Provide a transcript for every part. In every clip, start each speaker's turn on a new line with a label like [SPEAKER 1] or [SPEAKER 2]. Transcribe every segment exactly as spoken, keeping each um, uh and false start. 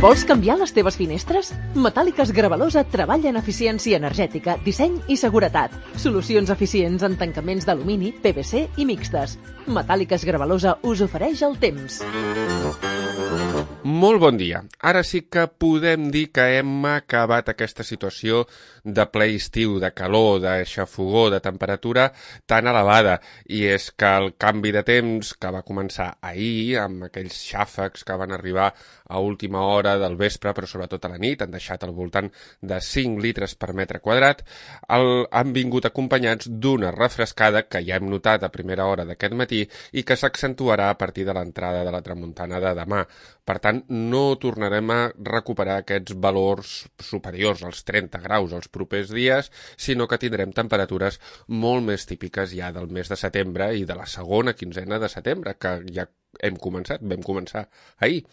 [SPEAKER 1] Vols canviar les teves finestres? Metàl·liques Gravalosa treballa en eficiència energètica, disseny i seguretat. Solucions eficients en tancaments d'alumini, P V C i mixtes. Metàl·liques Gravalosa us ofereix el temps.
[SPEAKER 2] Molt bon dia. Ara sí que podem dir que hem acabat aquesta situació de ple estiu, de calor, de xafogó, de temperatura tan elevada. I és que el canvi de temps que va començar ahir, amb aquells xàfecs que van arribar a última hora del vespre, però sobretot a la nit, han deixat al voltant de cinc litres per metre quadrat, el, han vingut acompanyats d'una refrescada que ja hem notat a primera hora d'aquest matí i que s'accentuarà a partir de l'entrada de la tramuntana de demà. Per tant, no tornarem a recuperar aquests valors superiors als trenta graus els propers dies, sinó que tindrem temperatures molt més típiques ja del mes de setembre i de la segona quinzena de setembre, que ja hem començat, vam començar ahir.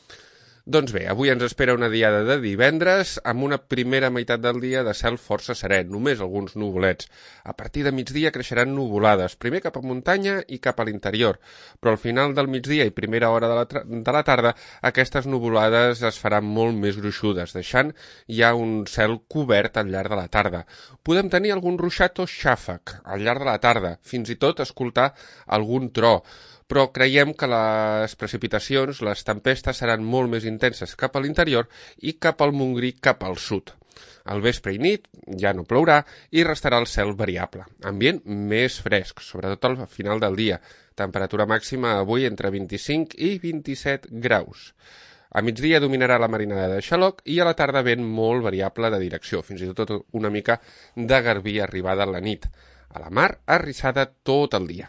[SPEAKER 2] Doncs bé, avui ens espera una diada de divendres amb una primera meitat del dia de cel força serè, només alguns nuvolets. A partir de migdia creixeran nuvolades, primer cap a muntanya i cap a l'interior, però al final del migdia i primera hora de la, de la tarda aquestes nuvolades es faran molt més gruixudes, deixant ja un cel cobert al llarg de la tarda. Podem tenir algun ruixat o xàfec al llarg de la tarda, fins i tot escoltar algun tro, però creiem que les precipitacions, les tempestes, seran molt més intenses cap a l'interior i cap al Montgrí, cap al sud. Al vespre i nit ja no plourà i restarà el cel variable. Ambient més fresc, sobretot al final del dia. Temperatura màxima avui entre vint-i-cinc i vint-i-set graus. A migdia dominarà la marinada de xaloc i a la tarda vent molt variable de direcció, fins i tot una mica de garbí arribada a la nit. A la mar, arrissada tot el dia.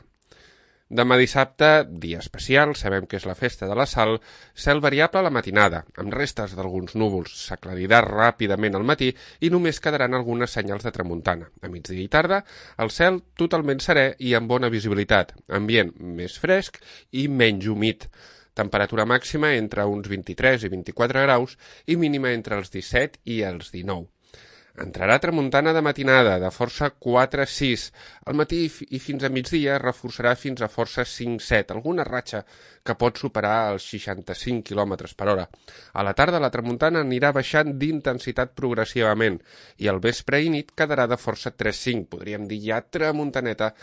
[SPEAKER 2] Demà dissabte, dia especial, sabem que és la festa de la Sal, cel variable a la matinada, amb restes d'alguns núvols, s'aclarirà ràpidament al matí i només quedaran algunes senyals de tramuntana. A migdia i tarda, el cel totalment serè i amb bona visibilitat, ambient més fresc i menys humit. Temperatura màxima entre uns vint-i-tres i vint-i-quatre graus i mínima entre els disset i els dinou. Entrarà tramuntana de matinada, de força quatre a sis. Al matí i fins a migdia reforçarà fins a força cinc a set, alguna ratxa que pot superar els seixanta-cinc quilòmetres per hora. A la tarda la tramuntana anirà baixant d'intensitat progressivament i al vespre i nit quedarà de força tres a cinc, podríem dir ja tramuntaneta,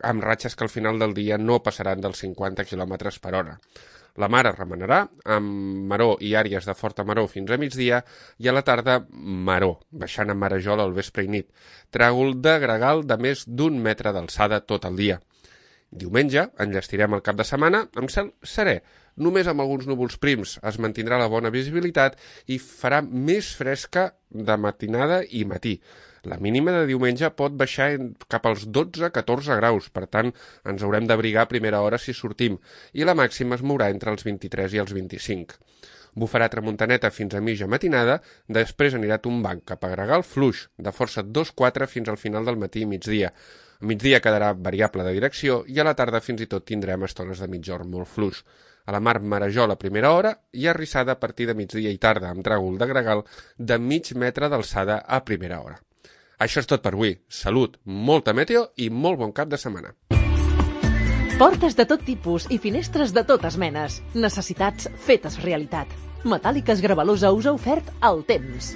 [SPEAKER 2] amb ratxes que al final del dia no passaran dels cinquanta quilòmetres per hora. La mar es remenarà, amb maró i àrees de forta maró fins a migdia, i a la tarda maró, baixant a marejol al vespre i nit. Tràgol de gregal de més d'un metre d'alçada tot el dia. Diumenge enllestirem el cap de setmana amb cel serè, només amb alguns núvols prims. Es mantindrà la bona visibilitat i farà més fresca de matinada i matí. La mínima de diumenge pot baixar cap als dotze a catorze graus, per tant, ens haurem d'abrigar a primera hora si sortim, i la màxima es mourà entre els vint-i-tres i els vint-i-cinc. Bufarà tramuntaneta fins a mitja matinada, després anirà tombant cap a gregal fluix, de força dos a quatre fins al final del matí i migdia. A migdia quedarà variable de direcció i a la tarda fins i tot tindrem estones de mitjorn molt fluix. A la mar marejol a primera hora i arrissada a partir de migdia i tarda, amb tràgol de gregal de mig metre d'alçada a primera hora. Això és tot per avui. Salut, molta meteo i molt bon cap de setmana.
[SPEAKER 1] Portes de tot tipus i finestres de totes menes. Necessitats fetes realitat. Metàl·liques Gravalosa us ha ofert el temps.